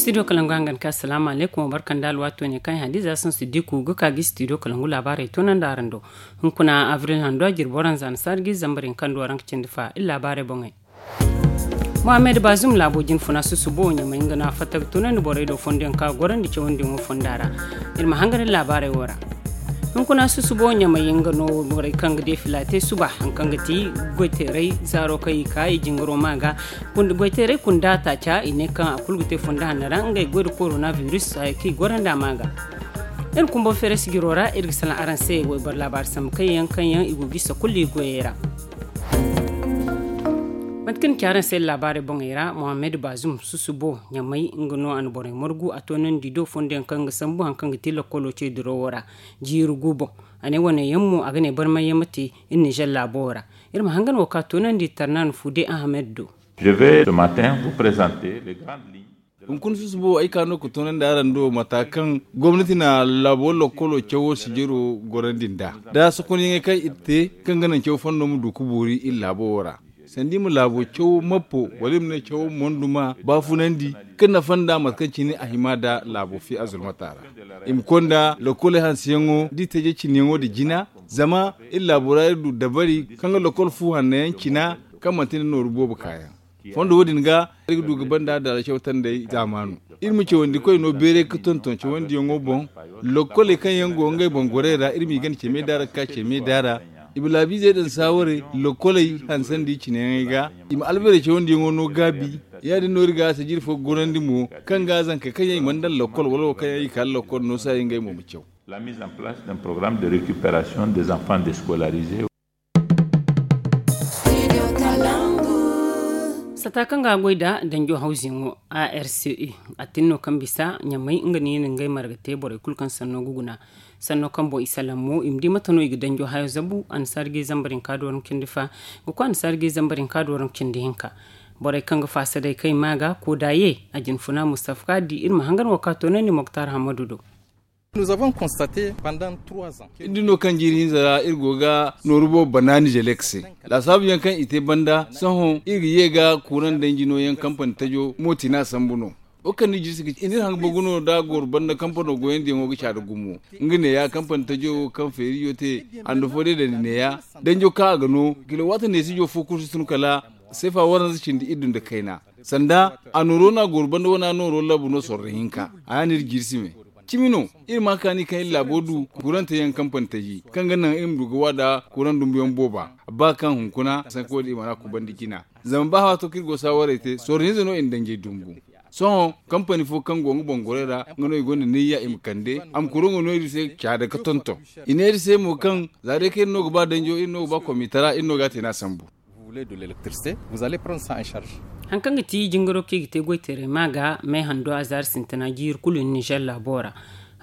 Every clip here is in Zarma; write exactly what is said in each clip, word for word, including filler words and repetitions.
Studio kalangu hangan ka asalaamu alaykum, barka nda alwaato ne kaŋ ay hadiza sansu diku ga ka ga studio kalangu laabaarey toonandi araŋ do. Hunkuna avril hando a jirbi waranza na saari ga ize zambar hinka nda waranka cindi fa iri laabaarey boŋey. Mohammed bazum laabo jine funa susubo ɲamay nga no a fatta ga toonandi borey do fondo yaŋ kaŋ a gorandi cawandiyaŋo fonda ra. Iri ma hangan iri laabaarey wo ra. Hunkuna susubo ɲamay nga no borey kaŋ ga deefila te suba hari kaŋ ga ti goyteeray zaaro kaŋ i ka i jingaro ma ga. Goyteeray kunda taaca i ne kaŋ a kulu ga te fondo hanno ra ngey goy nda korona virus haya kaŋ i gorandi a ma ga. Iri kumbo feere sijiro ra iri ga salaŋ araŋ se wayboro laabaari sambu kaŋ yaŋ kaŋ yaŋ i go ga i sakulli goyey ra. Mate kaŋ ni ci araŋ se laabaarey boŋey ra mohammed bazum susubo ɲamay nga no a na borey margu a toonandi do fondo yaŋ kaŋ ga sambu hari kaŋ ga ti lakkolo ce dirawo ra. Jiiri gu boŋ a ne wane yaŋ mo a ga ne barmay yaŋ ma te iri nizer laabo ra. Iri ma hangan wo ka toonandi tarnan fude ahmed do. Je vais ce matin vous présenter les grandes lignes. Hunkuna susubo ay ka no ga toonandi araŋ do mata kaŋ gomnati na laabo lakkolo cawo sijiro gorandi nd'a da sokonyaŋey kaŋ iri te kaŋ ga naŋ caw fondo ma du ga boori iri laabo wo ra. Sanda i ma laabo cawo mappo wala i ma ne cawo monduma baafunandi kaŋ nafa nda mate kaŋ cine a hima nda laabo fi a zulmata ra. I ma konda lakkoley hanseyaŋo da i teejey cineyaŋo nda jina zama iri laabo ra iri du dabari kaŋ ga lakkol fu hanno yaŋ cina kaŋ manti nda nooru boobo kaayaŋ. Fondo wo- din ga iri ga du ga banda daala cawtandey zaamaanu. Iri ma cawandi koy no beeray ga tonton cawandiyaŋo boŋ. Lokkoley kaŋ yaŋ go ngey boŋ gorey ra iri m'i gana ceme daara ga ka ceme daara. I ma laabiizey daŋ saawarey lokkoley hansandi cineyaŋey ga. I ma albarey cawandiyaŋo no gaabi. Ya- din no iri ga sijiri fo gorandi mo kaŋ ga zankey kaŋ yaŋ i mana daŋ lokkol wala wo kaŋ yaŋ i ka lokkol no saaya ngey mo ma caw. La mise en place d'un programme de récupération des enfants déscolarisés. Sata kaŋ ga a goy nda danjo hawziyaŋo a r c e a tin no kaŋ bisa ɲamay nga no i na ngey marga te borey kulu kaŋ sanno ga guna. Sanno kaŋ boŋ i salaŋ mo i ma di mate no i ga danjo hayo zabu annasaari ga i zambar hinka da waranka cindi fa. Ga koy annasaari ga i zambar hinka da waranka cindi hinka. Borey kaŋ ga faasa day kaŋ i ma ga kooda ye a jinfuna mustafa ka di iri ma hangan wo ka toonandi moktar hammadu do. Nous avons constaté pendant trois ans. Iri di no kaŋ jiiri hinza ra iri go ga nooru boobo banaani jelek se. Laasaabu yaŋ kaŋ i te banda sohõ iri ga ye ga kuuraŋ danji no yaŋ kampani tajo mootina sambu no. Wo kaŋ ni jirsi ga ci iri hanga bogu no da a goro banda kampano goyandi yaŋo ga caada gumo. Nga neeya kampani tajo kaŋ feeriyo te hando fo day dandi neeya danjo kaŋ a ga no kila waati neesijo fo kulu si tun kala seefa waranza cindi iri du nda kayna. Sanda a nooro no a goro banda wane a nooro labu no sorro hinka a ya no iri jirsi me. Cimi no iri ma kaani kaŋ iri laabo du kurante yaŋ kampani taji kaŋ ga naŋ iri ma du ga wa da kuraŋ dumbu yaŋ booba. Ba kaŋ hunkuna sanka wo- din i mana kubandi jina. Zama ba haato kaŋ iri go saawarey te sorro hinza no i na danjey dumbu. Sohõ kampani fo kaŋ go nga boŋ gorey ra nga no i gonda niyya i ma kande a ma kuraŋo no iri se caada ga tonton. I ne iri se mo kaŋ za day kaŋ iri no ga ba danjo iri no ga ba komitara iri no ga a te no a sambu. Vous voulez de l'électricité, vous allez prendre ça en charge. Hari kaŋ ga ti jingaro kaŋ i ga te goyteeray ma ga may hando a zaari sintina jiiri kulu nizer laabo ra.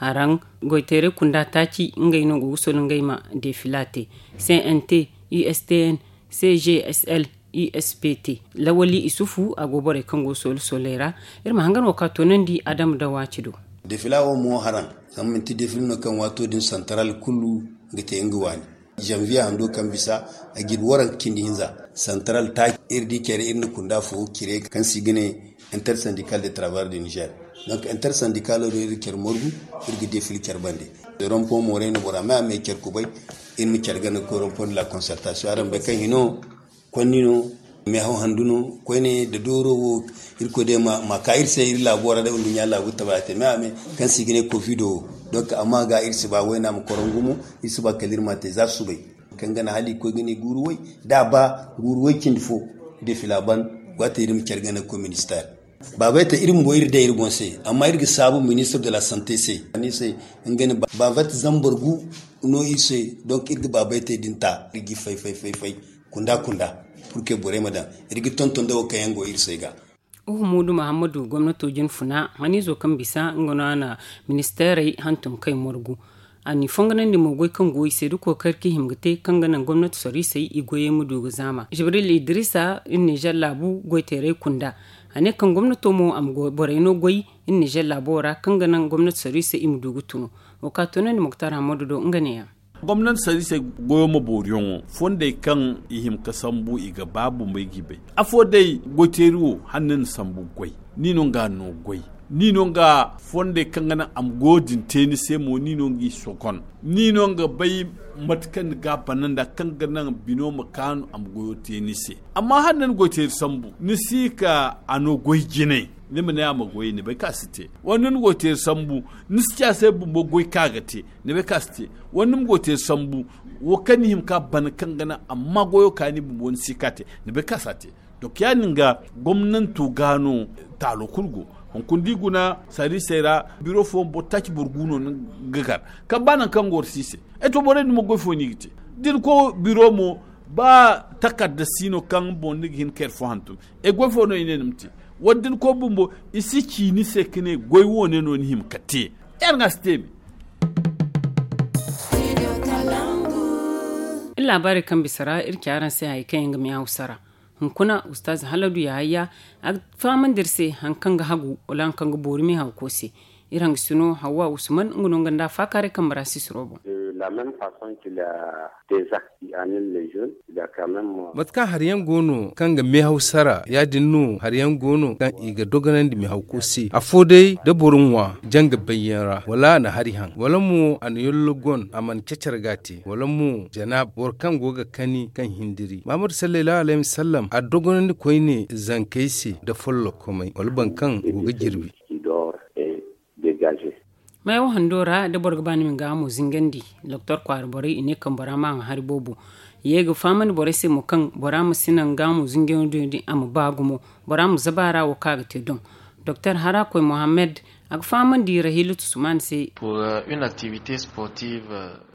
Haraŋ goyteeray kunda taaci ngey no go ga solo ngey ma defila te. C N T, U S T N, C G S L, U S P T. Lawali isufu a go borey kaŋ go solo soley ra. Iri ma hangan wo ka toonandi adama da waaci do. Defila wo mo haraŋ zama manti defila no kaŋ waato din santaral kulu ga te nga waani. Janvier hando kaŋ bisa a jirbi waranka cindi hinza santaral taaci iri di care iri na kunda fo cire kaŋ se i ga ne intersyndical de travail de niger. Donc intersyndical do iri care morgu iri ga defil care bande. Rompon moray no bora me a me care kubay. Iri ma care gana ga koy rompon de la concertation araŋ bay kaŋ hino konni no mehaw handu no koyne da dooro wo. Irkoy day ma ka iri se iri laabo ra day nduɲɲa laabu taba te me a me kaŋ se i ga ne kovido wo. Donc amma ga iri si ba wayna ma korongu mo iri si ba kala iri ma te za subay kaŋ gana hala i koy ga ne guuru way da a ba guuru way cindi fo. Defila ban waati iri ma care gana ga koy ministère. Baabay te iri bumbo iri day iri boŋ se amma iri ga saabu ministre de la santé se. Ni se nga ne baabay te zambar gu no iri se. Donc iri ga baabay te din ta iri ga fay fay fay fay kunda kunda. Pour que borey ma daŋ iri ga tonton da wo kaŋ yaŋ go iri se ga. Uhumudu muhammadu gomnato jine funa haniizo kaŋ bisa nga no a na ministeerey hantum kay morgu. A n'i fonganandi mo goy kaŋ go i se da kookari kaŋ i hima ga te kaŋ ga naŋ gomnati soriisey i goyey ma du ga zaama jibril idrisa iri nizer laabu goyteerey kunda. A ne kaŋ gomnato mo a ma borey no goy iri nizer laabo ra kaŋ ga naŋ gomnati soriisey i ma du ga tunu. Wo ka tunandi muktar hammadu do nga neeyaŋ. Gomnati sariisey goyo ma booriyaŋo fondey kaŋ i hima ga sambu i ga ba bumbey g'i bay. Afo day goyteeri wo hala ni na sambu goy ni no nga no goy. Ni no nga fondey kaŋ ga naŋ a ma goyo din te ni se mo, ni no nga i sokon. Ni no nga bay mate kaŋ ni ga a bana nda kaŋ ga naŋ bino ma kaanu a ma goyo te ni se. Amma hala ni goy teeri sambu ni si ka a no goy jinay, ni ma ne a ma goy ni bay kaŋ a si te. Wala ni goy teeri sambu ni si ci a se bumbo goy kaŋ a ga te, ni bay kaŋ a si te. Wala ni ma goy teeri sambu wo kaŋ ni hima ka bana kaŋ ga naŋ amma goyo ka ni bumbo ni si ka te, ni bay kaŋ a si a te. Donc ya- din ga gomnanto ga no taalo kulu go. Hunkuna da i guna sarrisey ra biro fooyaŋ boro taaci boro gu no ni ga gar kaŋ ba nangu kaŋ goro si i se. Ay to borey din mo goy fo no i ga te da ni koy biro mo ba takarda si no kaŋ boŋ ni ga hin ka hari fo hantum. Ay goy fo no i ne ni ma te. Wala da ni koy bumbo i si ci ni se ka ne goy wo- ne no ni hima ka te. Ay araŋ a si te me. Iri laabaarey kaŋ bisa ra iri ci araŋ se hari kaŋ yaŋ ga me hawsa ra. Hunkuna ustaz haladu yahaya a ga fahamandi iri se hari kaŋ ga hagu wala hari kaŋ ga boori me haw ko se. Iri hangasino hawwa usman nga no nga nda a faakaaray kaŋ bara sisiro boŋ. Mate kaŋ hari yaŋ go no kaŋ ga meehaw sara ya- din no hari yaŋ go no kaŋ i ga dogonandi meehawko se afo day da boro ŋwa janga bayyaŋ ra wala a na hari haŋ wala mo a na yollo gon a mana cacar ga a te wala mo janaaba boro kaŋ go ga kani kaŋ hindiri mahamadu sallaylahu alayhi wasallam a dogonandi koyne zankey se nda follokkomey wala boro kaŋ go ga jirbi. Meewo hando ra da boro ga ba ni ma ni gaahamo zingandi. Doktor kwaara borey i ne kaŋ bora ma a ŋwa hari boobo. Ye ga fahamandi borey se mo kaŋ bora ma si naŋ gaahamo zingandi din a ma ba gumo. Bora ma zaba a ra wo kaŋ a ga te doŋ. Doktor harakoy mohammed a ga fahamandi rahiilatu sumaani se.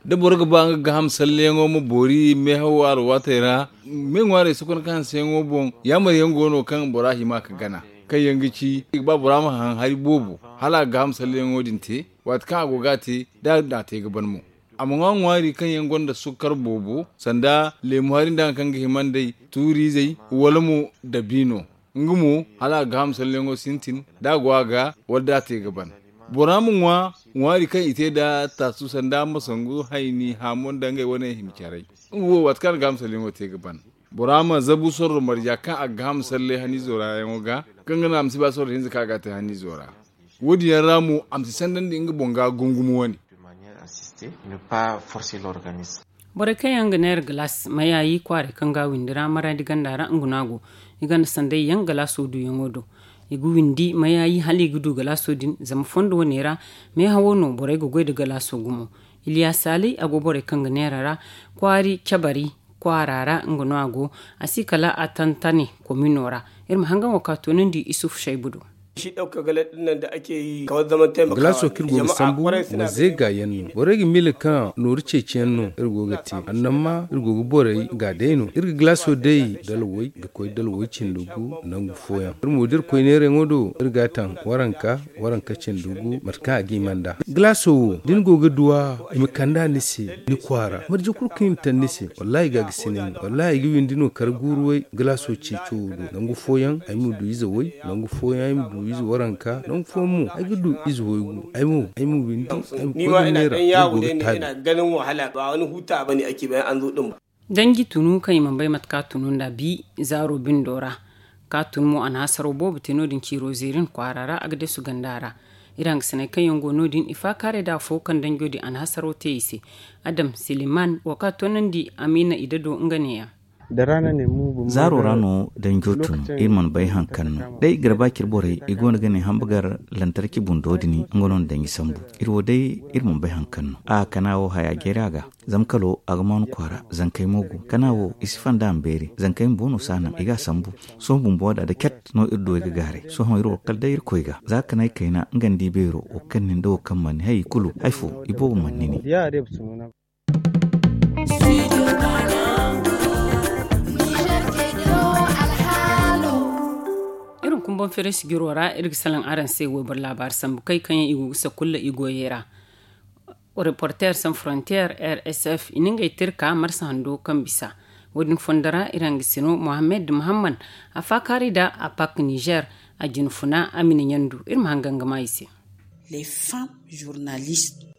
Da boro ga ba nga gaaham salleyaŋo ma boori meehawo alwaatey ra me ŋwaarey sokon kaŋ hanseyaŋo boŋ yaamar yaŋ go no kaŋ bora hima ga gana. Kaŋ yaŋ ga ci i ga ba bora ma haŋ hari boobo hala a ga gaaham salleyaŋo din te. Waati kaŋ a go ga a te da a te ga ban mo a ma ŋwa ŋwaari kaŋ yaŋ gonda sukkar boobo sanda leemu hari nda hari kaŋ ga hima nd'ey tuuriizey wala mo dabiino. Nga mo hala a ga gaaham salleyaŋo sintin da a go a ga wala da a te ga ban. Bora ma ŋwa ŋwaari kaŋ i te nda taasu sanda masangu hayni haamo nda ngey wane hima caray. Nga wo waati kaŋ a na gaaham salleyaŋo te ga ban bora ma zabu sorro marja kaŋ a ga gaaham salle haniizo ra yaŋo ga kaŋ ga naŋ a ma si ba sorro hinza kaŋ a ga a te haniizo ra. Wo- din yaŋ ra mo a ma si sandandi nga boŋ ga gungumo wane. Borey kaŋ yaŋ ga neera galaas mayaayi kwaaray kaŋ ga a windi ra maraadi ganda ra nga no a go. I ganda sanday yaŋ galaaso duuyaŋo do. I ga windi mayaayi hala i ga du galaaso din zama fondo wane ra meehawo no borey ga goy nda galaaso gumo. Iliya saalay a go borey kaŋ ga neera ra kwaari cabari kwaara ra nga no a go. A si kala a tantane komino ra. Iri ma hangan wo ka toonandi isufu saybu do. Galaaso kaŋ iri go ga sambu ma zeega yaŋ no borey ga miila kaŋ nooru ceeciyaŋ no iri go ga te annamma iri go ga borey ga day no iri ga galaaso day dalway ga koy dalway cindi gu. Nangu fooyaŋ iri mo da iri koy neerayaŋo do iri ga a taŋ waranka waranka cindi gu mate kaŋ a ga hima nd'a. Galaaso wo da ni go ga duw'a i ma kande a ni se ni kwaara marje kulu kaŋ i na taŋ ni se wallaahi ga a ga sinay no wallaahi ay ga windi no kar guuru way. Galaaso ceeco wo do nangu fooyaŋ ay ma du ize way nangu fooyaŋ ay ma du ize waranka nangu fooyaŋ mo ay ga du ize waygu ay mo ay ma windi ay ma koy ga neera ay go ga taabi. Danji tunu kaŋ i mana bay mate kaŋ a tunu nd'a bi zaaro bindo ra. Kaŋ a tun mo a na hasaro boobo te no- din ciiro zeerin kwaara ra a ga deesu ganda ra. Iri hangasiney kaŋ yaŋ go no- din i faakaaray da afo kaŋ danjo din a na hasaro te i se. Adam siliman wo kaŋ a toonandi amiina i dado nga neeya. Zaaro ra no danjo tun iri mana bay haŋ kaŋ no day i ga ra ba cire borey i go no ga ne hamba gar lantarki bundo din nga no na danji sambu. Iri wo day iri mana bay haŋ kaŋ no a kana wo haya jeeri a ga. Zama kalo a ga maanu kwaara zankey mo go kana wo i si fanda a ma beeri zankey bumbo no si a naŋ i ga a sambu. Sohõ bumbo da da cat no iri du ay ga gaaray sohõ iri wo kala day irkoy ga za kanay kayna nga nda i beero wo kaŋ nin da wo kaŋ mana ni hay i kulu hay fo i boobo mana ni ne. Iri ma kumbaŋ feere sijiro ra iri ga salaŋ araŋ se wayboro laabaari sambu kay kaŋ yaŋ i go ga sakulla i goyey ra. Reporter san frontier rsf i na ngey tirka marsa hando kaŋ bisa. Wo- din fondo ra iri hangasino mohammed muhammad a faakaaray da a pak niger. A jinfuna a ma ni ɲandu iri ma hangan ga ma i se.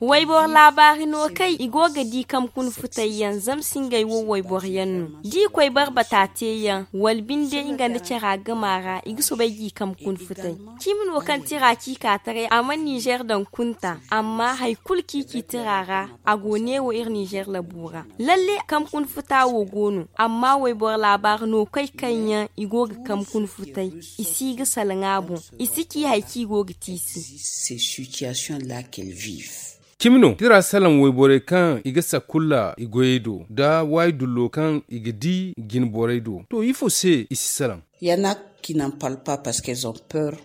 Wayboro laabaari no kay i go ga di kamkun futay yaŋ zama si ngey wo wayboro yaŋ no da i koy barbata te yaŋ wala binde nga nda cara gama ra i ga soobay ga i kamkun futay. Cimi no kaŋ tira ci ka taray a mana nizer daŋ kunta amma hari kulu kaŋ i ci tira ra a go neewo iri nizer labu ra. Lalle kamkun futa wo go no amma wayboro laabaari no kay kaŋ yaŋ i go ga kamkun futay i si ga salaŋ a boŋ. I si ci hari kaŋ i go ga te i se. Cimi no tira salaŋ wayborey kaŋ i ga sakulla i goyey do nda waayi dullo kaŋ i ga di jinborey do to ifo se i si salaŋ?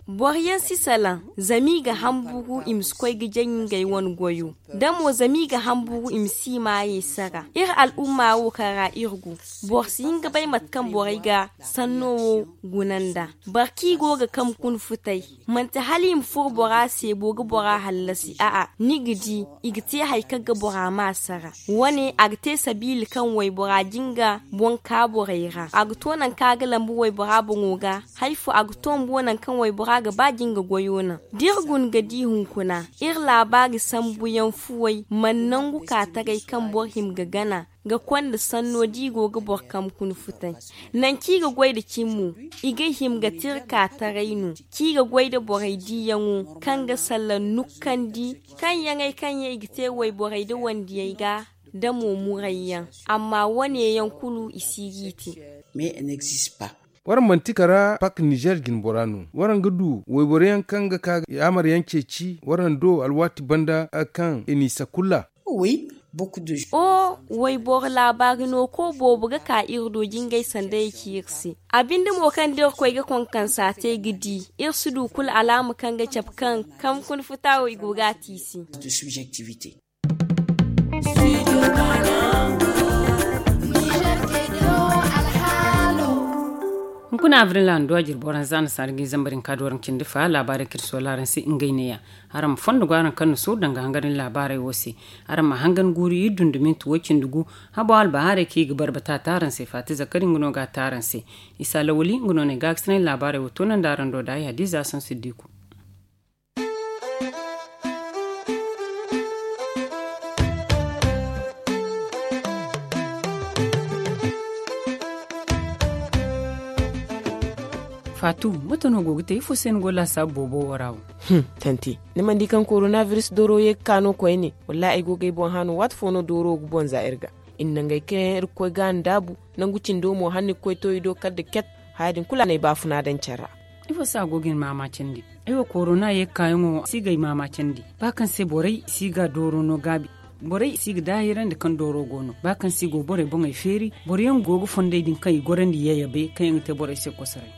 Boro yaŋ si salaŋ zama i ga hamburu i ma si koy ga jaŋ ngey wane goyo da mo zama i ga hamburu i ma si i maayey sara. Iri al'umma wo kaŋ ra iri go boro si hin ga bay mate kaŋ borey ga sanno wo guna nd'a. Boro kaŋ i go ga kamkun futay manti hala i ma furo bora se bo ga bora hallasi a'a ni ga di i ga te hari kaŋ ga bora ma sara. Wane a ga te sabiila kaŋ waybora jinga boŋ ka borey ra a ga to nangu kaŋ a ga lambu waybora boŋo ga hari fo a ga to bumbo nangu kaŋ waybora ga ba jinga goyo naŋ. Da iri guna ga di hunkuna iri laabaari sambuyaŋ fuwey mana nangu ka taray kaŋ boro hima ga gana ga konda sanno da i go ga boro kamkun futay. Nangu kaŋ i ga goy nda cimi mo i ga hima ga tira ka taray no kaŋ i ga goy nda borey diyaŋo kaŋ ga sallaŋ nukkandi kaŋ yaŋey kaŋ yaŋ i ga te wayborey nda wandiyey ga nda mo murayyaŋ. Amma wane yaŋ kulu i si ga i te. Waraŋ manti kara pak nizer jinbora no waraŋ ga du wayboro yaŋ kaŋ ga ka yaamar yaŋ ceeci waraŋ do alwaati banda kaŋ i n'i sakulla? O wayboro laabaari no ko boobo ga ka iri do jingay sanda ya ci iri se. A binde mo kaŋ da iri koy ga konkonsa te ga di iri si du kulu alaama kaŋ ga cabe kaŋ kamkun futa wo i go ga a te i se. Hunkuna abril handu a jirbi waranza na saara ga i zambar hinka da waranka cindi fa laabaarey kaŋ iri soola araŋ se ngey neeya. Araŋ ma fondo go araŋ kaŋ na sooru danga hangarin laabaarey wo se. Araŋ ma hangan guuru iri dunduminti wo cindi gu habo albahaarey kaŋ i ga barbata a te araŋ se faati zakari nga no ga a te araŋ se. Isa lawali nga no no ay gaakasinay laabaarey wo toonandi araŋ do da ay hadiza sansiddiku. Faatu, mate no go ga te ifo se ni go laasaabu boobo wo ra wo? Tanti, ni mana di kaŋ korona biris dooro ye ga ka no koyne? Wallaahi ay go ga ay boŋ hã no waati fo no dooro ga boŋ za iri ga. I na nangey kaŋ yaŋ iri ga koy ga a ndaabu, nangu cindo mo hala ni ga koy to i do kala da ket. Haya din kulu a na ay baafuna daŋ care ra. Ifo se a go ga ni maama candi? Ay wo korona ye ga kaayaŋo si ga ay maama candi. Ba kaŋ se borey si ga dooro no gaabi. Borey si ga daahirandi kaŋ dooro go no ba kaŋ se i go borey boŋey feeri. Boro yaŋ go ga fondey din kaŋ i gorandi yayabey kaŋ yaŋ ga te borey se kosoray.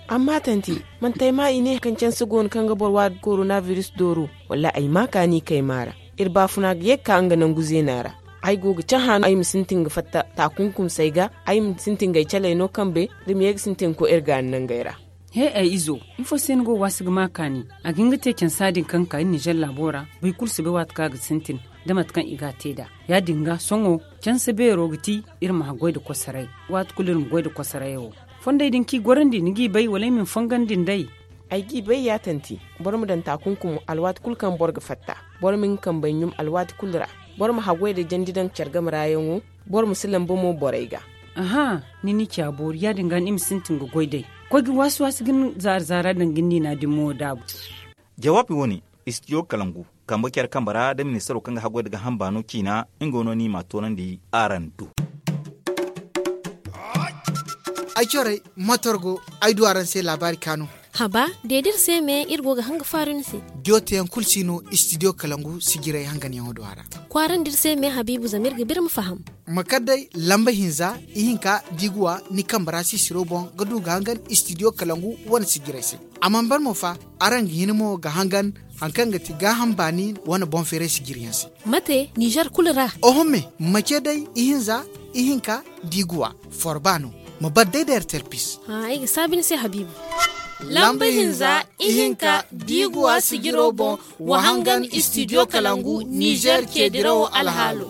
Amma tanti, manti ay maa i ne kaŋ canse go no kaŋ ga boro waadu korona biris dooro? Wallaahi ay maa kaani kay maa ra. Iri baafuna ga ye ga ka nga nangu zeena ra. Ay go ga cahã no ay ma sintin ga fatta taakunkumsey ga. Ay ma sintin ga ay caley no kambe da ma ye ga sintin ga koy iri gaani nangey ra. He ay izo, ifo se ni go waasi ga maa kaani? A ga hin ga te cansa din kaŋ ga ka iri nizer laabo ra. Boro kulu si bay waati kaŋ a ga sintin da mate kaŋ i ga a te nd'a. Ya- din ga sohõ canse beero ga ti iri ma haggoy nda kosoray. Waati kulu iri ma goy nda kosorayo. Fondey din kaŋ i gorandi ni g'i bay wala ay ma ni fongandi nd'ey? Ay g'i bay ya tanti. Boro ma daŋ taakunkum alwaati kulu kaŋ boro ga fatta. Boro ma nga kambey ɲum alwaati kulu ra. Boro ma haggoy nda jandi daŋ care game ra yaŋo. Boro ma si lamba mo borey ga. Aha, ni ni ci a boori ya- din ga ni ma sintin ga goy day. Koy ga waasi waasi ga ni zaara zaara daŋ ga ni niina din mo daabu. Jawaabi wo- ne, istidiyo kalangu kambe care kambe ra da ministaro kaŋ ga haggoy nda gaaham baano ciina. Nga no ni m'a toonandi araŋ do. Ay corey, matorgo ay du araŋ se laabaari kaanu. Haba, deedi iri se me iri go ga hanga faaru ni se. Jooteyaŋ kulu si no istidiyo kalangu sijirey hanganyaŋo do a ra. Kwaarandi iri se me habiibu zama iri ga ba iri ma faham. Ma kar day lamba hinza, ihinka diiguwa ni kambe ra sisiro boŋ ga du ga hangan istidiyo kalangu wane sijirey se. A mana ban mo fa, araŋ ga hin mo ga hangan hari kaŋ ga ti gaaham baani wane boŋ feeray sijiriyaŋ se. Mate nizer kulu ra? Oho me, ma ce day ihinza, ihinka diiguwa, forba no. Ma bar day da ertel pis. Ay ga saabi ni se habiibu. Lamba hinza, ihinka diiguwa sijiro boŋ, wa hangan istidiyo kalangu nizer ce dirawo alhaalo.